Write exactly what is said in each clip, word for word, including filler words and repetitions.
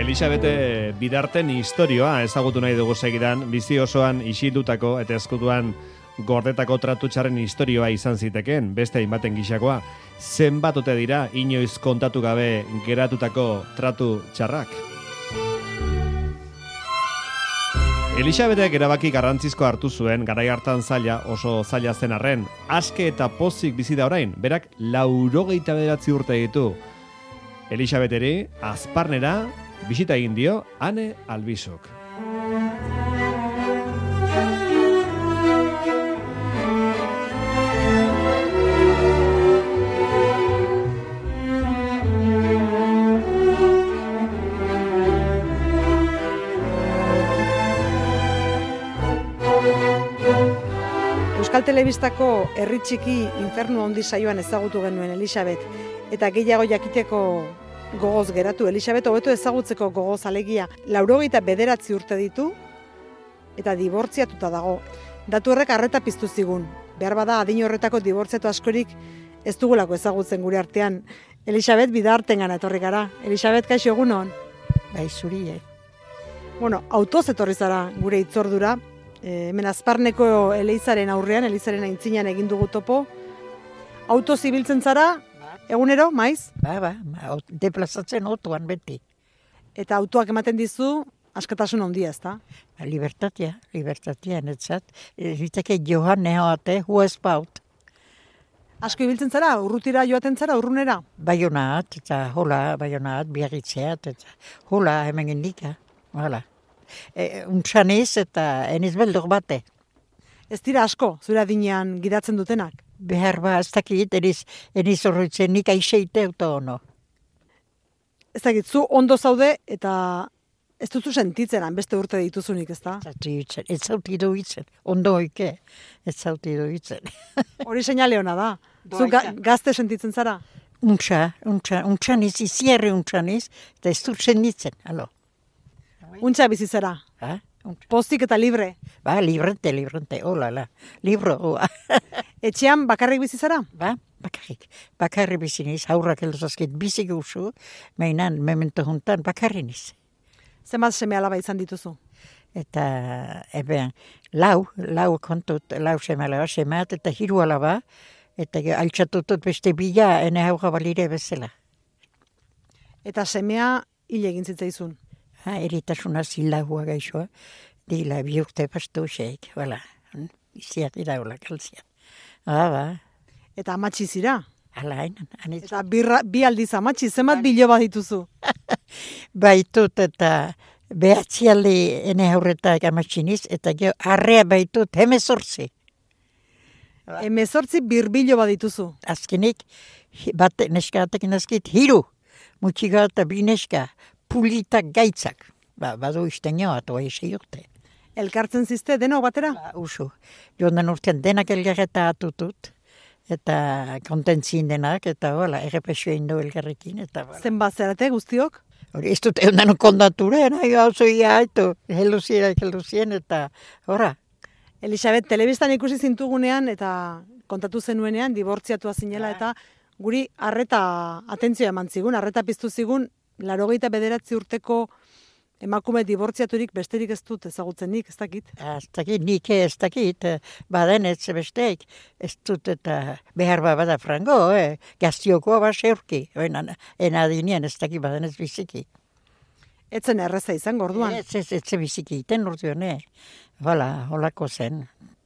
Elisabete Bidarten istorioa ezagutu nahi dugu segidan, bizi osoan isildutako eta ezkutuan gordetako tratu txarren istorioa izan zitekeen, beste hainbaten gixakoa. Zenbat ote dira inoiz kontatu gabe geratutako tratu txarrak? Elisabetek erabaki garrantzizko hartu zuen, garai hartan zaila, oso zaila zen arren, aske eta pozik bizi da orain, berak laurogeita bederatzi urte ditu. Elisabeteri, Azparnera, bisita egin dio Ane Albizok. Euskal Telebistako Herri Txiki Infernu Handi saioan ezagutu genuen Elisabet, eta gehiago jakiteko gogoz geratu. Elisabet hobeto ezagutzeko gogoz alegia. Laurogeita bederatzi urte ditu eta dibortziatuta dago. Datu horrek arreta piztu zigun. Behar bada adin horretako dibortziatu askorik ez dugulako ezagutzen gure artean. Elisabet Bidartengana etorri gara. Elisabet, kaixo egunon? Bai, zuri, eh? Bueno, autoz etorri zara gure hitzordura. E, hemen Azparneko Elizaren aurrean, Elizaren aintzinean egin dugu topo. Autoz ibiltzen zara, egunero, maiz? Ba, ba, ba, deplazatzen autoan beti. Eta autoak ematen dizu, askatasun handia, ezta? Ba, libertatea, libertatea netzat. Ziteke johan nehoate, huespaut. Asko ibiltzen zara, urrutira joaten zara, urrunera? Baionaat, eta hola, baionaat, biarritzeat, eta hola, hemen indika, hola. E, Untxaniz eta eniz beldur bate. Ez dira asko, zure adinean gidatzen dutenak? Behar ba, ez dakit, eniz, eniz horretzen nik aixeite auto ono. Ez dakit, zu ondo zaude eta ez duzu sentitzen, beste urte dituzunik, ez da? Ez zauti duitzen, ondo oike, ez zauti duitzen. Hori seinale hona da. Zu ga, gazte sentitzen zara? Untxa, untxa, untxaniz, izierre untxaniz, eta ez dut sentitzen, alo. Untxa bizi zara? Ha? Pozik eta libre? Ba, librente, librente, hola, la, libro, hoa. Etxean bakarrik bizi zara? Ba, bakarrik, bakarrik bizi niz, haurrak eldozazkit bizi guzu, mainan, memento juntan, bakarri niz. Zenbat seme alaba izan dituzu? Eta, ebean, lau, lau kontut, lau seme alaba, semeat, eta hiru alaba, eta altxatutut beste bila, ene haura balire bezala. Eta semea hile egin zitzaizun? Ha, eritasuna zilagua gaixoa, dila bi urte pastu xeik, bala, iziat iraula kalzia. Ah, ba. Eta amatxi zira? Hala, hainan. Eta birra, bi aldiz amatxi, zenbat bilo bat dituzu? Baitut eta behatzi aldi ene aurretak amatxiniz, eta geho arrea baitut hemezortzi. Hemezortzi birbilo bat dituzu? Azkenik, bat neska atekin azkit, hiru, mutxiga eta bi neska, pulitak gaitzak. Ba, badu izten joa, toa esei urte. Elkartzen zizte, denok batera? Ba, usu. Joan urtean denak elgarreta atutut, eta kontentzin denak, eta hola, errepesio indo elgarrekin, eta hola. Zenbat zerate guztiok? Hori, ez dut egun kondature, nahi hau zoia, eto, heluzien, heluzien, eta horra. Elisabet, telebistan ikusi zintugunean, eta kontatu zenuenean, dibortziatua zinela, eta guri arreta atentzioa eman zigun, arreta piztu zigun, laurogeita bederatzi urteko emakume dibortziaturik besterik ez dut ezagutzen nik, ez dakit? Ez dakit, nik ez dakit, baden ez besteik, ez dut eta behar bada frango, eh? Gaztiokoa bat seurki, enadinien ez dakit baden ez biziki. Etzen erreza izan, gorduan? Ez, ez, ez biziki, iten orduan, eh? Hola, holako zen,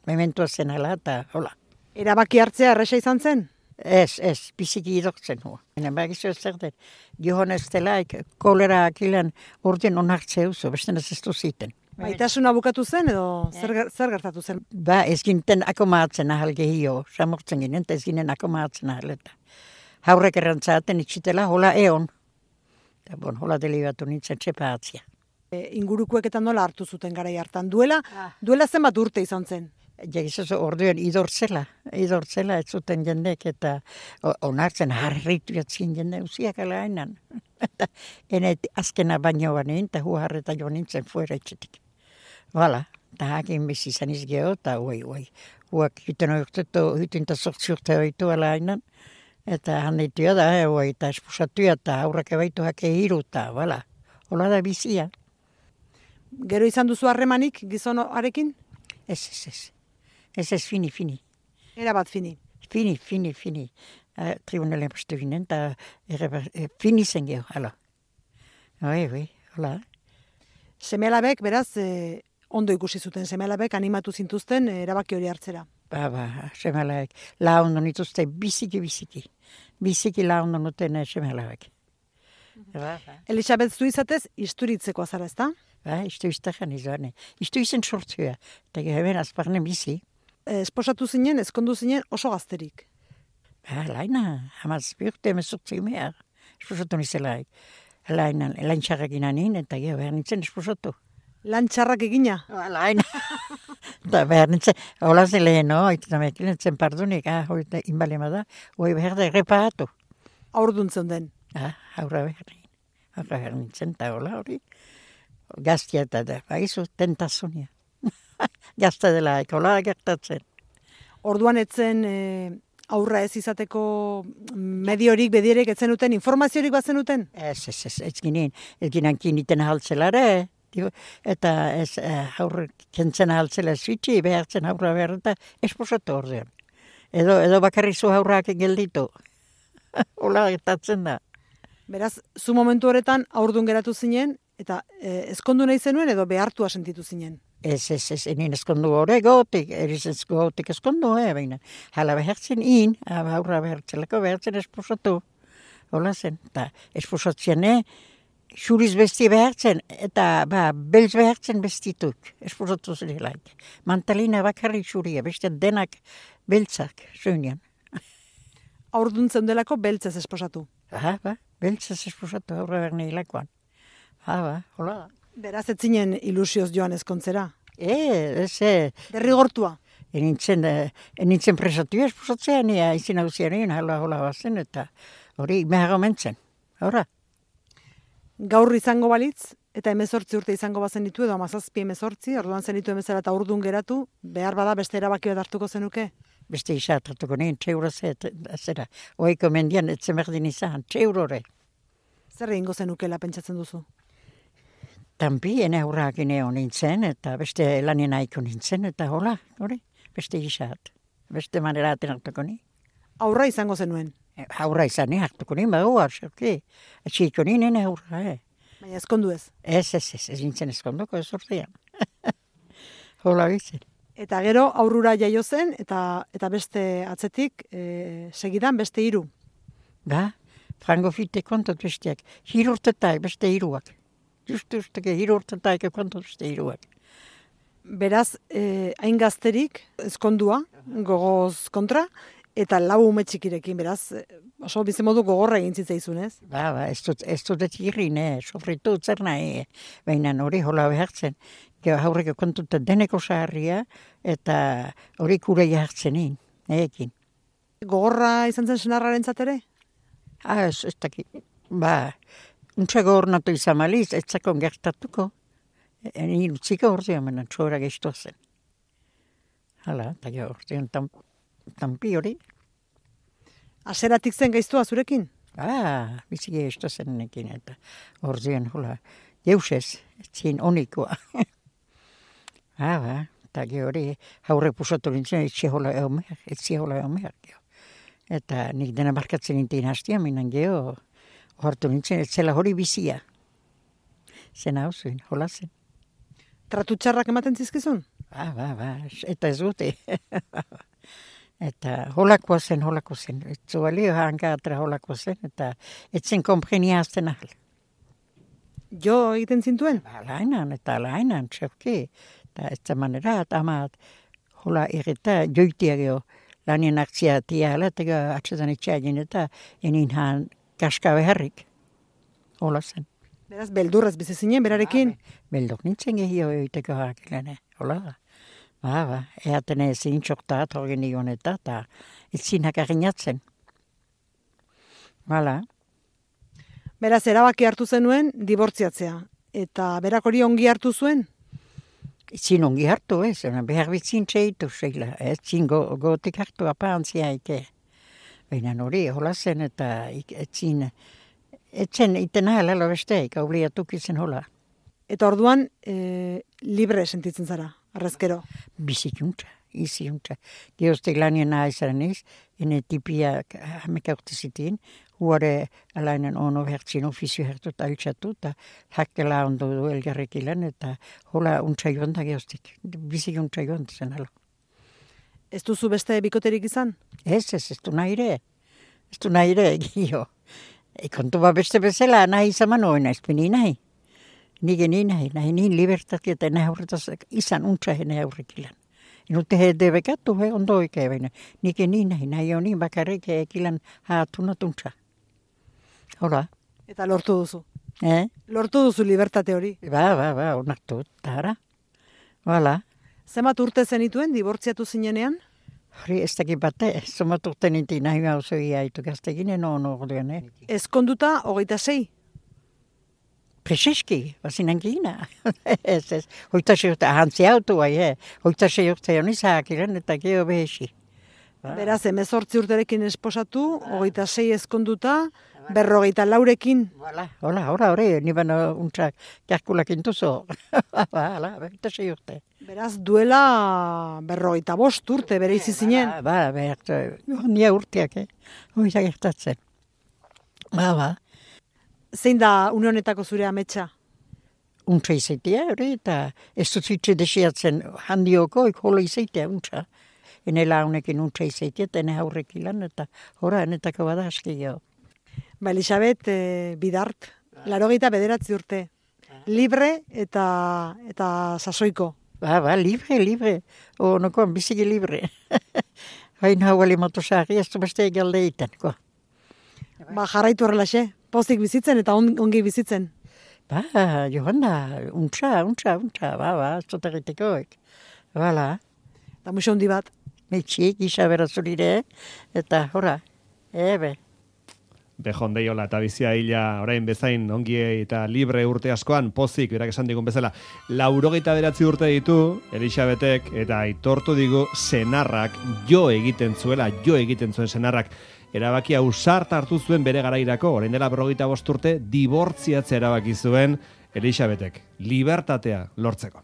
mementua zen ala eta hola. Erabaki hartzea erresa izan zen? Ez, ez, biziki idortzen hua. Henen bagizu ez zer den, johon ez delaik, kolera akilan urdien onartzea uzo, beste ez ez duziten. Maitasuna bukatu zen edo zer, zer gertatu zen? Ba, ez ginten akomatzen ahal gehio, samortzen ginen, ez ginen akomatzen ahal eta. Haurrek errantzaten itxitela, hola eon. Eta bon, hola delibatu nintzen txepatzia. E, ingurukuek eta nola hartu zuten garai hartan. Duela, ah. duela zenbat urte izan zen? Jagizazo orduan idortzela, idortzela ez zuten jendek eta onartzen harritu jatzien jende usiak ala hainan. Ene azkena baino banein eta hua harreta jo nintzen fuera etxetik. Bala, eta hakin bizi izan izgeo eta uai, uai. Huak hiten oiurteto, hiten eta sortzi urte oitu ala hainan. Eta handitua da, uai, eta espusatu eta aurrak ebaitu hake hiru eta, bala. hola da bizia. Gero izan duzu harremanik gizonarekin? Ez, ez, ez. Ez, ez, fini, fini. Era bat fini. Fini, fini, fini. Uh, tribunalen postu ginen, eta e, fini zen geho, hala. Oi, oi, hola. Seme-alabek, beraz, e, ondo ikusi zuten seme-alabek animatu zintuzten e, erabaki hori hartzera. Ba, ba, seme-alabek. La ondo nituzte biziki, biziki. Biziki la ondo nuten seme-alabek. Ba, ba. Elisabet, zu izatez, isturitzeko azara, ezta? Ba, istu iztekan izan. Istu izen sortzua. Eta hemen azparne bizi. E, esposatu zinen, ezkondu zinen oso gazterik. Ba, laina, hamaz biurte emezortzi mehar. Esposatu nizelaik. Laina, lain txarrak inanin, eta geho behar nintzen esposatu. Lan txarrak egina? Ba, laina. Eta behar nintzen, hola zen lehen, no? Eta mekin nintzen pardunik, ah, hoi da inbalema da, hoi behar da erreparatu. Aurduntzen den. Ah, aurra behar nintzen. Aurra behar nintzen, eta hola hori. Gaztia eta da, baizu, tentazunia. Gazta dela, hola gertatzen. Orduan etzen e, aurra ez izateko mediorik, bedierek etzen uten, informaziorik batzen uten? Ez, ez, ez, ez ginen, ez ginen kiniten ahaltzelare, eta ez aurre kentzen ahaltzela zuitzi, behartzen aurra behar eta esposatu ordean. Edo, edo bakarri zu aurrak gelditu. Hola gertatzen da. Beraz, zu momentu horretan aurdun geratu zinen, eta e, ezkondu nahi zenuen edo behartua sentitu zinen? Ez, ez, ez, enien eskondu hori gotik, eriz ez gotik eskondu, eh, baina. Hala behartzen in, aurra behartzelako behartzen esposatu. Hola zen, eta esposatzen, eh, xuriz besti behartzen, eta ba, belz behartzen bestituk, esposatu zirelaik. Mantalina bakarrik xuria, beste denak beltzak, zuinean. Aurduntzen delako beltzez esposatu. Aha, ba, beltzez esposatu aurra behar nahilakoan. Ha, ba, hola. Beraz, ez zinen ilusioz joan ezkontzera. E, ez, e. Derrigortua. Enintzen, enintzen presatu esposatzean, ea izin hauzian egin, hala hola bazen, eta hori mehar omentzen. Hora. Gaur izango balitz, eta emezortzi urte izango bazen ditu, edo amazazpi emezortzi, orduan zen ditu emezara eta urdun geratu, behar bada beste erabaki bat hartuko zenuke? Beste isa atratuko nien, txeuro zera. Oiko mendian, etzen berdin izan, txeurore. Zer egingo zenukela pentsatzen duzu? Tampi, ene aurrak ineo nintzen, eta beste lanien aiko nintzen, eta hola, hori, beste isat. Beste manera aten hartuko ni. Aurra izango zenuen? Aurra izan, hartuko ni, bau, arxoki. Etxiko ni, nene aurra, eh. Baina ezkondu ez? Ez, ez, ez, ez nintzen ezkonduko, ez urtean. Hola bizen. Eta gero aurrura jaio zen, eta eta beste atzetik, e, segidan beste hiru. Ba, frango fite kontot besteak. Hirurtetak beste hiruak. Justu, justake, hiru urtetaik kontot beste hiruak. Beraz, eh, hain gazterik, ezkondua, gogoz kontra, eta lau ume txikirekin, beraz, oso bizimodu gogorra egin zitzaizun, ez? Ba, ba, ez dut, ez dut irrin, eh, sofritu zer nahi, baina hori hola behartzen. Gero haurreko kontuta deneko saharria, eta hori kure jartzen egin, ekin. Gogorra izan zen senarraren zatere? Ah, ez, ez dakit, ba, untsa gogornatu izan maliz, ez zakon gertatuko. Egin utziko ordean, baina txora gehitu zen. Hala, eta gero ordean tampi hori. Aseratik zen gaiztua zurekin? Ah, bizi gehitu zen nekin, eta ordean, hola, jeusez, etzin onikoa. Ah, ba, eta gero hori, haurre pusatu nintzen, etxe hola eomer, etxe hola eomer, gero. Eta nik dena barkatzen nintzen hastia, minan gero, hartu nintzen, etzela hori bizia. Zen hau zuen, hola zen. Tratu txarrak ematen zizkizun? Ba, ba, ba, eta ez dute. Eta holako zen, holako zen. Zualio hanka atra holako zen, eta etzen komprenia azten ahal. Jo egiten zintuen? Ba, lainan, eta lainan, txepki. Eta ez da manera, eta amat, hola irrita, joitia geho, lanien aktzia tia ala, eta geho atxetan itxagin, eta enin han kaska beharrik. Hola zen. Beraz, beldurrez bizi zinen, berarekin? Beldur nintzen gehio egiteko harakilene, hola da. Ba, ba, eaten ezin txokta atorgen nion eta, eta ezin hakarinatzen. Hala. Beraz, erabaki hartu zenuen, dibortziatzea. Eta berak hori ongi hartu zuen? Ezin ongi hartu, ez, behar bitzin txeitu zeila, ezin go, gotik hartu apantzia ike. Baina hori, hola zen eta ezin Etzen iten ahala lo besteik, obliatuk izen hola. Eta orduan, e, libre sentitzen zara, arrezkero. Bizikiuntza, iziuntza. Geoztek lanien nahizaren iz, ene tipia hameka urte zitin, huare alainen ono hertzin ofizio hertut altxatu, eta hakkela ondo du elgarrek ilan, eta hola untsa joan da geoztek. Bizikiuntza joan zen alo. Ez duzu beste bikoterik izan? Ez, ez, ez du nahi ere. Ez du nahi ere, gio. E, kontu ba beste bezala, nahi izan manoen, ez pini nahi. Nige ni nahi, nahi niin libertati, eta nahi horretaz izan untsa hene aurrek ilan. Inute he debekatu, he ondo oikein. Nige ni nahi, nahi on niin bakarrik ekilan haatunat untsa. Hola. Eta lortu duzu. Eh? Lortu duzu libertate hori. Ba, ba, ba, onartu, tara. Hala. Zemat urte zenituen, dibortziatu zinenean? Hori, ez dakit bate, zomat urte ninti nahi mauzo iaitu gazteginen ono ordean, eh? Ezkonduta, hogeita sei. Prezeski, bazinan gina. ez, ez, hoita sei urte, ahantzi autu bai, eh? Hoita sei urte honi zahakiren eta geho behesi. Ba. Beraz, emezortzi urterekin esposatu, hogeita sei ezkonduta, berrogeita laurekin. Hola, hola, hola, hori, niban untsak jarkulak intuzo. Hala, hoita sei urte. Beraz, duela berrogeita bost urte bere izi zinen. Ba, ba, ba, nia urteak, eh? Hoita gertatzen. Ba, ba. Zein da une honetako zure ametsa? Untsa izaitea, hori, eta ez dut zitze desiatzen handioko, ikolo izaitea untsa. Enela honekin untsa izaitea, eta ene haurrek ilan, eta hora, enetako bada aski geho. Ba, Elisabet, e, bidart, larogeita bederatzi urte. Libre eta, eta sasoiko. Ba, ba, libre, libre. O, nokoan, biziki libre. Hain hau ali motosari, ez du beste egalde iten, ko. Ba, jarraitu horrelaxe. Pozik bizitzen eta on, ongi bizitzen. Ba, Johanna, untsa, untsa, untsa, ba, ba, zotaritekoek. Bala. Eta muixo hondi bat. Metxik, gisa berazulire, eta hora, ebe. Bejondeiola eta bizia hila orain bezain ongi eta libre urte askoan, pozik, berak esan digun bezala, laurogeita beratzi urte ditu, Elisabetek, eta aitortu digu senarrak jo egiten zuela, jo egiten zuen senarrak, erabakia ausart hartu zuen bere garairako, orain dela berrogeita bost urte, dibortziatzea erabaki zuen Elisabetek, libertatea lortzeko.